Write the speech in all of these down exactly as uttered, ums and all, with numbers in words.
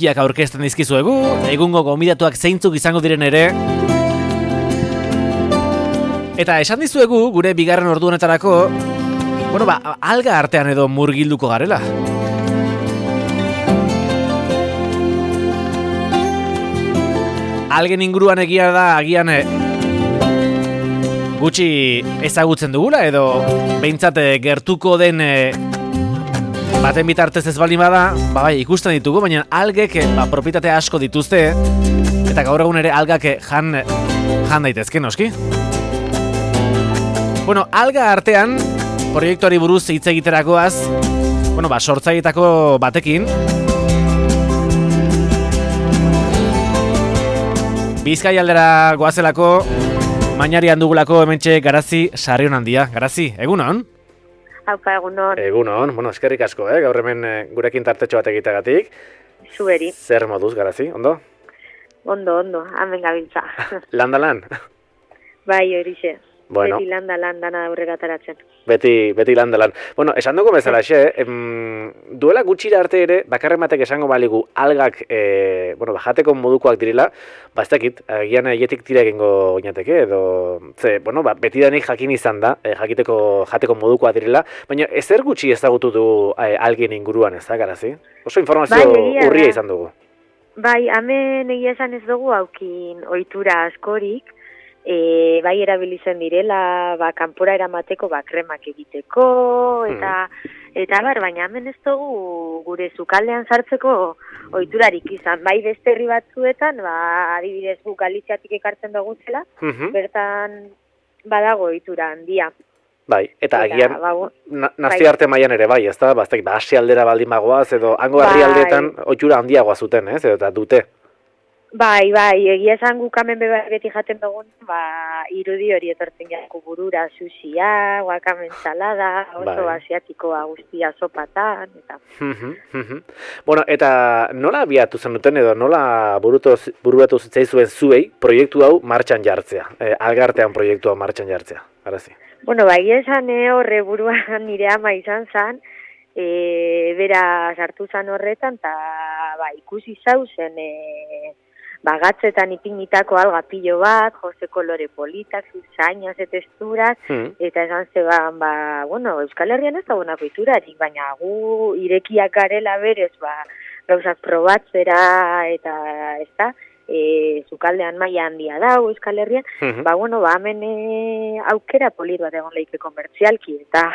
kiak aurkezten dizkizuegu, egungo gonbidatuak zeintzuk izango diren ere. Eta esan dizuegu, gure bigarren ordu honetarako, bueno, ba, alga artean edo murgilduko garela. Algen inguruan egia da, agian e, gutxi ezagutzen dugula, edo behintzat gertuko den e, baten bitartez ez baldin bada, ba bai, ikusten ditugu, baina algek ba, propietate asko dituzte, eta gaur egun ere algak jan, jan daitezke, noski? Bueno, alga artean, proiektuari buruz hitz egiterakoaz, bueno, ba, sortzaileetako batekin, Bizkai aldera goazelako, mainarian dugulako hementxe Garazi Sarrion handia. Garazi, egunon? Haupa, egunon. Egunon, bueno, eskerrik asko, eh? Gaur hemen gurekin tartetxo bat egiteagatik. Zuberi. Zer moduz, Garazi, ondo? Ondo, ondo, hemen gabiltza. Landa lan? Bai, horixe. Bueno. Beti landa lan dana aurregataratzen. Beti, beti landa lan. Bueno, esan dugu bezala xe, em, duela gutxira arte ere, bakarren batek esango baligu algak, e, bueno, bajateko modukoak direla, ba, ez dakit, agian egetik tira egingo oinateke, edo, ze, bueno, ba, beti danik jakin izan da, e, jakiteko, jateko modukoak direla, baina ezer gutxi ezagutu du e, algien inguruan, ez da, Garazi? Oso informazio bai, urria izan dugu. Bai, hemen egia esan ez dugu haukin ohitura askorik, E, bai erabilizen direla, ba, kanpora eramateko, ba, kremak egiteko, eta, mm. eta bar, baina hemen ez dugu gure sukaldean sartzeko ohiturarik izan. Bai beste herri batzuetan, ba, adibidez gu Galiziatik ekartzen dugu zela, mm-hmm. bertan badago ohitura handia. Bai, eta, eta agian, ba, na, nazio bai. arte mailan ere bai, ez da, ba, ba Asia aldera baldin bagoaz, edo hango herri aldeetan ohitura handiagoa zuten, ez, edo eta dute. Bai, bai, egia esan guk hemen beti jaten dugun, ba, irudi hori etortzen jako burura, sushia, wakamen salada, oso bai. Asiatikoa guztia sopatan, eta... Bueno, eta nola abiatu zen duten edo nola bururatu zitzaizuen zuei proiektu hau martxan jartzea, e, algartean proiektu hau martxan jartzea, Garazi? Bueno, bai, esan e, horre buruan nire ama izan zan, e, bera sartu zan horretan, eta ba, ikusi zauzen... E, bagatzetan ipinitako alga pilo bat, jose kolore politak, zuzainas eta texturas, mm. eta esan zeban, ba, bueno, Euskal Herrian ez da bonako iturarik, baina gu irekiak garela berez, ba, gauzak probatzera, eta ez da, e, zukaldean maila handia da, Euskal Herrian, mm-hmm. ba, bueno, ba, hemen e, aukera polit bat egon leike komertzialki, eta,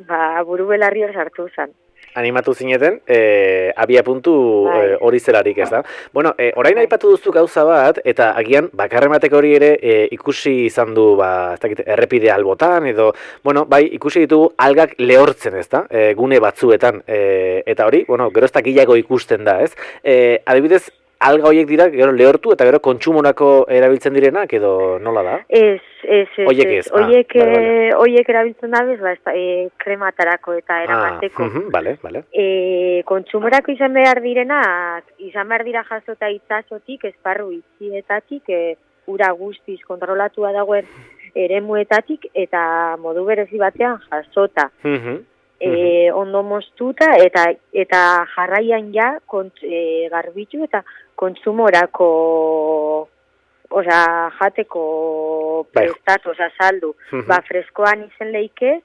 ba, buru belarri hor sartu zen. Animatu zineten, e, abia puntu hori e, zelarik, ez da? Bueno, e, orain aipatu duzu gauza bat, eta agian, bakarren batek hori ere e, ikusi izan du, ba, ez dakit, errepide albotan, edo, bueno, bai, ikusi ditugu algak lehortzen, ez da? E, gune batzuetan, e, eta hori, bueno, gero ez dakilago ikusten da, ez? E, adibidez, alga horiek dira, gero lehortu, eta gero kontsumorako erabiltzen direnak, edo nola da? Ez, ez, ez. Oiek ez. Oiek, ah, vale, vale. Oiek erabiltzen da bez, ba, e, krematarako eta eramateko. Ah, uh-huh, vale, vale. E, kontsumorako izan behar direnak, izan behar dira jasota itsasotik, esparru itxietatik, e, ura guztiz kontrolatua dagoen eremuetatik, eta modu berezi batean jasota. Uh-huh. E, ondo moztuta eta eta jarraian ja kont, e, garbitu eta kontsumorako osea jateko prestatu, osea saldu, uh-huh. ba freskoan izen leike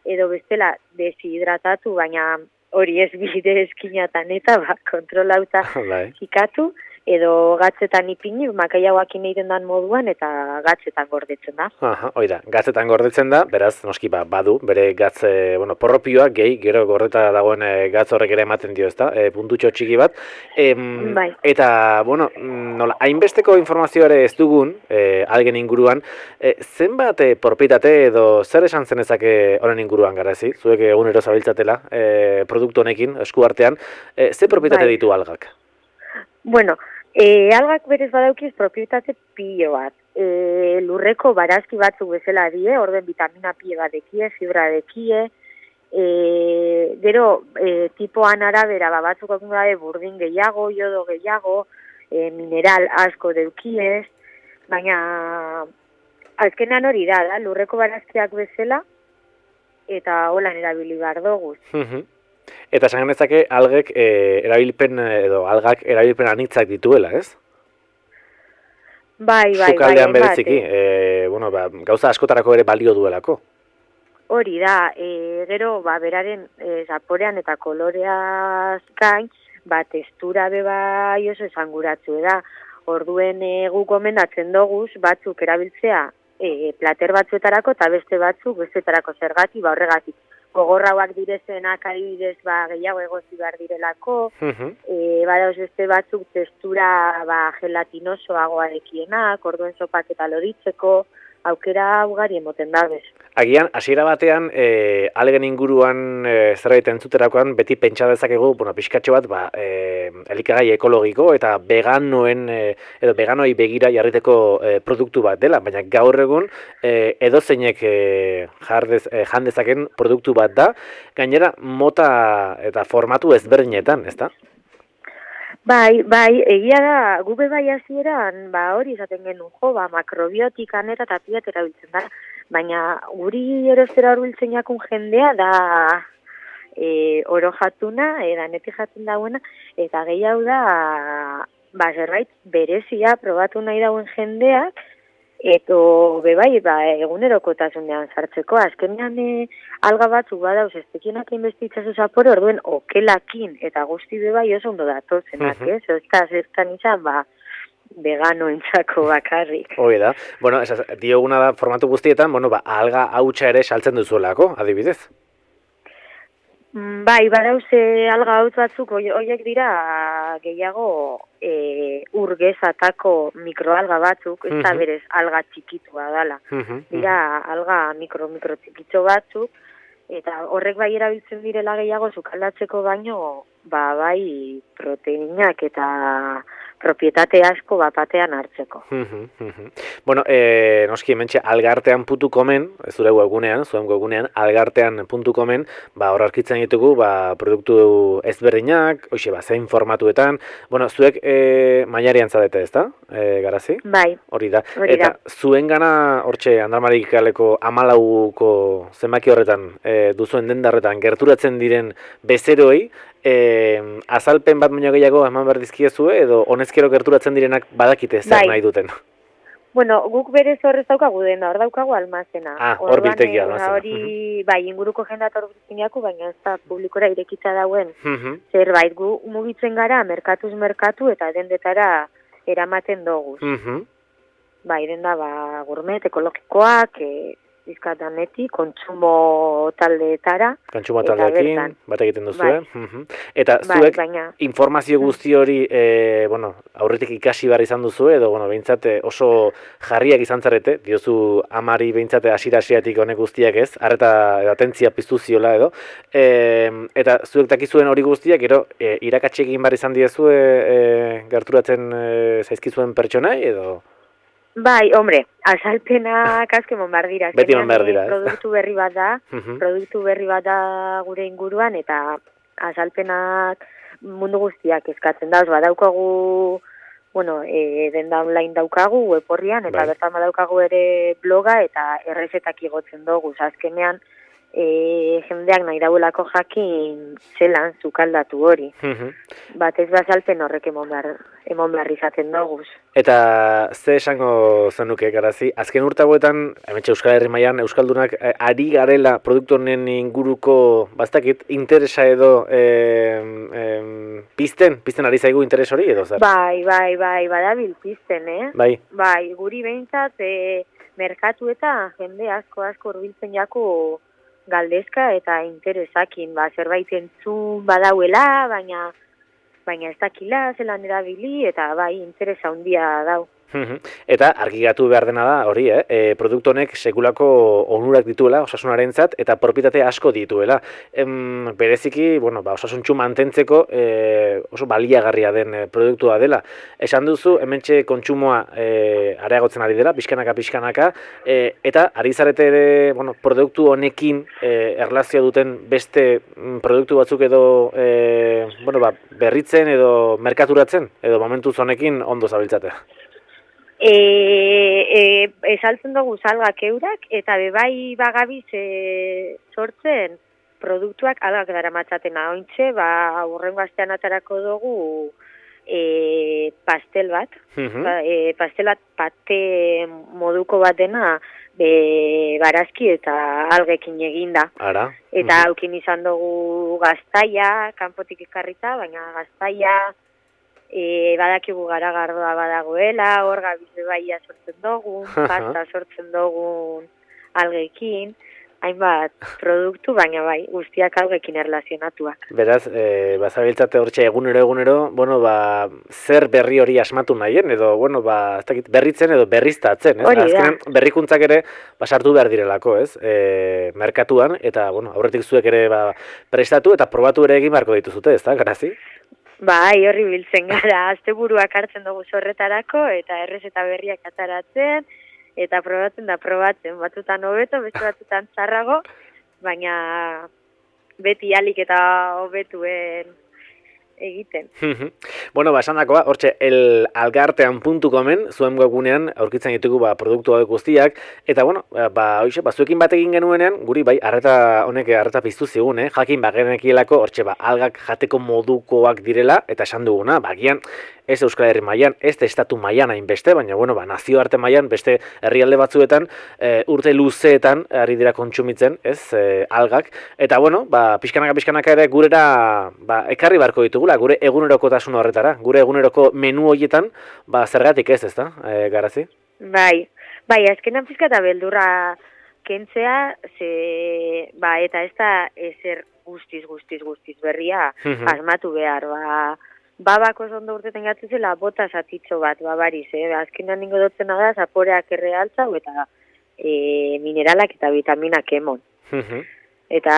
edo bestela deshidratatu, baina hori ez bide eskinatan eta ba kontrolauta zikatu edo gatzetan ipini, makaiagoakin egiten dan moduan, eta gatzetan gordetzen da. Aha, oida, gatzetan gordetzen da, beraz, noski, ba, badu, bere gatze, bueno, porropioa, gehi, gero gordeta dagoen e, gatz horrek ere ematen dio, ezta, e, puntutxo txiki bat. E, bai. Eta, bueno, nola, hainbesteko informazio ere ez dugun, e, algen inguruan, e, zenbat e, propietate edo zer esan zenezake honen inguruan, Garazi? Zuek egunero zabiltzatela, e, produktu honekin, esku artean, e, ze propietate bai. Ditu algak? Bueno, E, algak berez badaukiz propietate pilo bat. E, lurreko barazki batzuk bezala die, orden vitamina pilo bat dekie, fibra dekie, e, gero e, tipoan arabera ba, batzuk dabe burdin gehiago, jodo gehiago, e, mineral asko deukiez, baina azkenan hori da, da, lurreko barazkiak bezala, eta holan erabili behar dugu. Eta esan genezake algek e, erabilpen edo algak erabilpen anitzak dituela, ez? Bai, bai, bai. Sukaldean bereziki, e, bueno, ba, gauza askotarako ere balio duelako. Hori da, e, gero, ba, beraren e, zaporean eta koloreaz gain, ba, testura beba oso esanguratzu da. Orduen e, guk gomendatzen doguz, batzuk erabiltzea e, plater batzuetarako eta beste batzuk bestetarako zergatik, ba, horregatik. Gogorrauak direzenak adibidez ba, gehiago egozi behar direlako, uh-huh. e, badauz beste batzuk testura ba, gelatinosoagoarekienak, orduen sopak eta loditzeko, aukera ugari emoten dabez. Agian, hasiera batean, e, algen inguruan e, zerbait entzuterakoan, beti pentsa dezakegu, bueno, pixkatxo bat, ba, e, elikagai ekologiko eta veganoen, e, edo veganoi begira jarriteko e, produktu bat dela, baina gaur egun e, edozeinek e, jardez, e, jandezaken produktu bat da, gainera mota eta formatu ezberdinetan, ezta? Bai, bai, egia da, gube bai hasieran, ba hori esaten genuen jo, ba makrobiotikan eta tapiat erabiltzen da, baina guri erostera horbiltzen jakun jendea da e, oro jatuna, edanetik jaten dauena, eta gehiago da, ba zerbait berezia probatu nahi dauen jendeak, eto bebai, ba, egunerokotasunean sartzeko, azkenean e, alga batzuk badauz, ez tekienak inbestitzazu zapore, orduen okelakin, eta guzti bebai oso ondo datozenak, uh-huh. ez? Ez da, zertan izan, ba, vegano entzako bakarrik. Hoi da, bueno, esaz, dioguna da formatu guztietan, bueno, ba, alga hautsa ere saltzen duzuelako, adibidez? Bai, badauz alga hautz batzuk, horiek dira gehiago e, urgezatako mikroalga batzuk, ez da berez alga txikitua dala. Dira alga mikro-mikro txikitxo batzuk, eta horrek bai erabiltzen direla gehiago sukaldatzeko baino, ba bai proteinak eta propietate asko bapatean hartzeko. Bueno, eh, noski hementxe algartean puntu comen, zure webgunean, zuen webgunean, algartean puntu comen, ba, hor arkitzen ditugu, ba, produktu ezberdinak, hoxe, ba, zein formatuetan, bueno, zuek eh, mailarian zadete, ez da, eh, Garazi? Bai. Hori da. Hori da. Eta zuen gana, hortxe, Andramarikako amalauko zenbaki horretan, eh, duzuen dendarretan, gerturatzen diren bezeroi, E, azalpen bat baino gehiago eman behar dizkiezue edo honezkero gerturatzen direnak badakite zer bai. Nahi duten? Bueno, guk berez horrez daukagu dena, hor daukagu almazena. Ah, hor biltegi almazena. Hori, uh-huh. bai, inguruko jendat hor biltegi baina ez da publikora irekitza dauen. Uh-huh. Zerbait, gu mugitzen gara, merkatuz merkatu eta dendetara eramaten doguz. Uh-huh. Bai, denda, ba, gourmet, ekologikoak, e, bizkatanetik, kontsumo taldeetara. Kontsumo taldeekin, bat egiten duzue. Bai. Uh-huh. Eta zuek bai, baina... informazio guzti hori, e, bueno, aurretik ikasi behar izan duzu, edo, bueno, behintzate oso jarriak izan zarete, diozu amari behintzate asira-asiratik honek guztiak ez, arreta atentzia piztu ziola edo, e, eta zuek dakizuen hori guztiak, gero, e, irakatsi egin behar izan diezue e, gerturatzen e, zaizkizuen pertsonai, edo... Bai, hombre, azalpenak asko emon behar dira. Beti emon behar dira. Produktu berri bat da, uh-huh. produktu berri bat da gure inguruan, eta azalpenak mundu guztiak eskatzen da. Badaukagu, bueno, e, denda online daukagu, web horrian, eta bai. Bertan badaukagu ere bloga, eta errezetak igotzen dugu. Azkenean, e, jendeak nahi dauelako jakin zelan zukaldatu hori. Uh-huh. Batez bazalpen horrek emon behar, emon behar izaten dugu. Eta ze esango zenuke, Garazi, azken urtagoetan, hementxe Euskal Herri mailan euskaldunak eh, ari garela produktu honen inguruko, bastakit, interesa edo eh, eh, pizten, pizten ari zaigu interes hori edo zer? Bai, bai, bai, badabil pizten, eh? Bai. Bai, guri behintzat, eh, merkatu eta jende asko asko urbiltzen jako galdezka eta interesakin, ba, zerbait entzun badauela, baina baina ez dakila, zelan erabili, eta bai, interesa handia dau. Eta argigatu behar dena da, hori, eh? E, produktu honek sekulako onurak dituela, osasunarentzat, eta propietate asko dituela. Em, bereziki, bueno, ba, osasuntxu mantentzeko e, oso baliagarria den e, produktua dela. Esan duzu, hementxe kontsumoa e, areagotzen ari dela, pixkanaka, pixkanaka, e, eta ari zarete ere, bueno, produktu honekin e, erlazioa duten beste produktu batzuk edo e, bueno, ba, berritzen edo merkaturatzen, edo momentuz honekin ondo zabiltzate. E, e, esaltzen dugu salgak eurak, eta bebai bagabiz e, sortzen produktuak algak dara matzatena. Ointxe, ba, urrengo astean atarako dugu e, pastel bat. Mhm. Pa, e, pastel bat pate moduko bat dena, be, barazki eta algekin eginda. Ara. Eta aukin izan dugu gaztaia, kanpotik ekarrita, baina gaztaia e, badakigu garagardoa badagoela, hor gabize baia sortzen dugu, pasta sortzen dugu algekin, hainbat produktu, baina bai, guztiak algekin erlazionatuak. Beraz, e, bazabiltzate hortxe egunero egunero, bueno, ba, zer berri hori asmatu nahien, edo, bueno, ba, ez dakit, berritzen edo berriztatzen, ez? Hori da. Azkenen, berrikuntzak ere, basartu behar direlako, ez? E, merkatuan, eta, bueno, aurretik zuek ere, ba, prestatu eta probatu ere egin beharko dituzute, ez da, Garazi? Bai, horri biltzen gara, asteburuak hartzen dugu zorretarako, eta errezeta berriak ataratzen, eta probatzen da probatzen, batzutan hobeto, beste batzutan txarrago, baina beti alik eta hobetuen egiten. Bueno, ba, esan dakoa, hortxe, el algartean puntu comen, zuen webgunean aurkitzen ditugu ba, produktu hauek guztiak, eta, bueno, ba, hoxe, ba, zuekin bat egin genuenean, guri, bai, arreta honek arreta piztu zigun, eh? Jakin, ba, genekielako, hortxe, ba, algak jateko modukoak direla, eta esan duguna, ba, gian, ez Euskal Herri mailan, ez estatu mailan hainbeste, baina, bueno, ba, nazioarte mailan, beste herrialde batzuetan, e, urte luzeetan ari dira kontsumitzen, ez, e, algak, eta, bueno, ba, pixkanaka, pixkanaka ere gurera, ba, ekarri barko ditugula, gure egunerokotasun horretara, gure eguneroko menu horietan, ba, zergatik ez, ez da, e, Garazi? Bai, bai, azkenan pizka eta beldurra kentzea, ze, ba, eta ez da ezer guztiz, guztiz, guztiz berria asmatu behar, ba, babako ondo urteten gatzuzela bota zatitxo bat, babariz, eh? Azkenan ningo dutzen da, zaporeak errealtza, eta e, mineralak eta vitaminak emon. Eta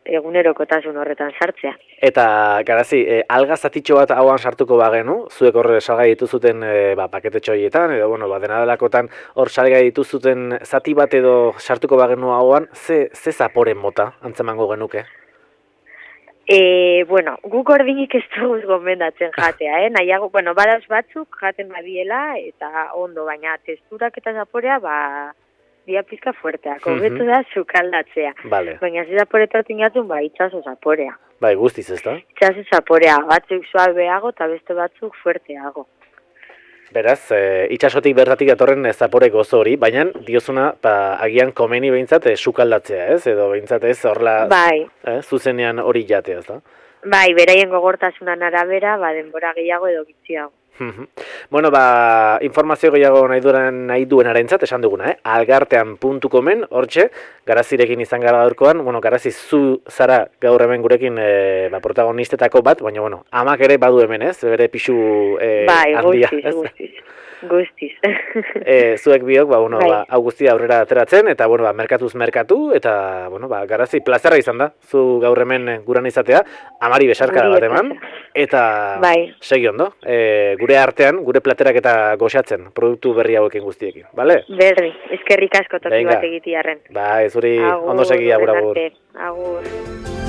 egunerokotasun horretan sartzea. Eta, Garazi, e, alga zatitxo bat hauan sartuko bagenu, zuek horre salgai dituzuten e, ba, paketetxo horietan, edo, bueno, ba, dena delakotan hor salgai dituzuten zati bat edo sartuko bagenu hauan, ze, ze zaporen mota antzemango genuke? E, bueno, guk ordinik ez duguz gomendatzen jatea, eh? Nahiago, bueno, badauz batzuk jaten badiela, eta ondo, baina testurak eta zaporea, ba, dia pizka fuerteak, hobetu da sukaldatzea. Vale. Baina ze zaporetatik gatun, ba, itxaso zaporea. Bai, guztiz ez da? Itxaso zaporea, batzuk suabeago, eta beste batzuk fuerteago. Beraz, e, itxasotik bertatik datorren zapore gozo hori, baina diozuna, ba, agian komeni behintzat e, sukaldatzea, ez? Edo behintzat ez horrela bai. eh, zuzenean hori jatea, ez da? Bai, beraien gogortasunan arabera, ba, denbora gehiago edo gitziago. Bueno, ba, informazio gehiago nahi duen nahi duenarentzat esan duguna, eh? algartean puntu comen, hortxe, Garazirekin izan gara gaurkoan, bueno, Garazi zu zara gaur hemen gurekin e, ba, protagonistetako bat, baina, bueno, amak ere badu hemen, ez? Bere pixu e, bai, handia. Bai, guztiz, guztiz. e, zuek biok, ba, bueno, bai. ba, hau guztia aurrera ateratzen, eta, bueno, ba, merkatuz merkatu, eta, bueno, ba, Garazi, plazerra izan da, zu gaur hemen guran izatea, amari besarkada bat eman, eta bai. segi ondo, e, gure artean, gure platerak eta goxatzen, produktu berri hauekin guztiekin, bale? Berri, eskerrik asko toki bat egitiarren. Ba, ez hori ondo segi agur agur. Agur.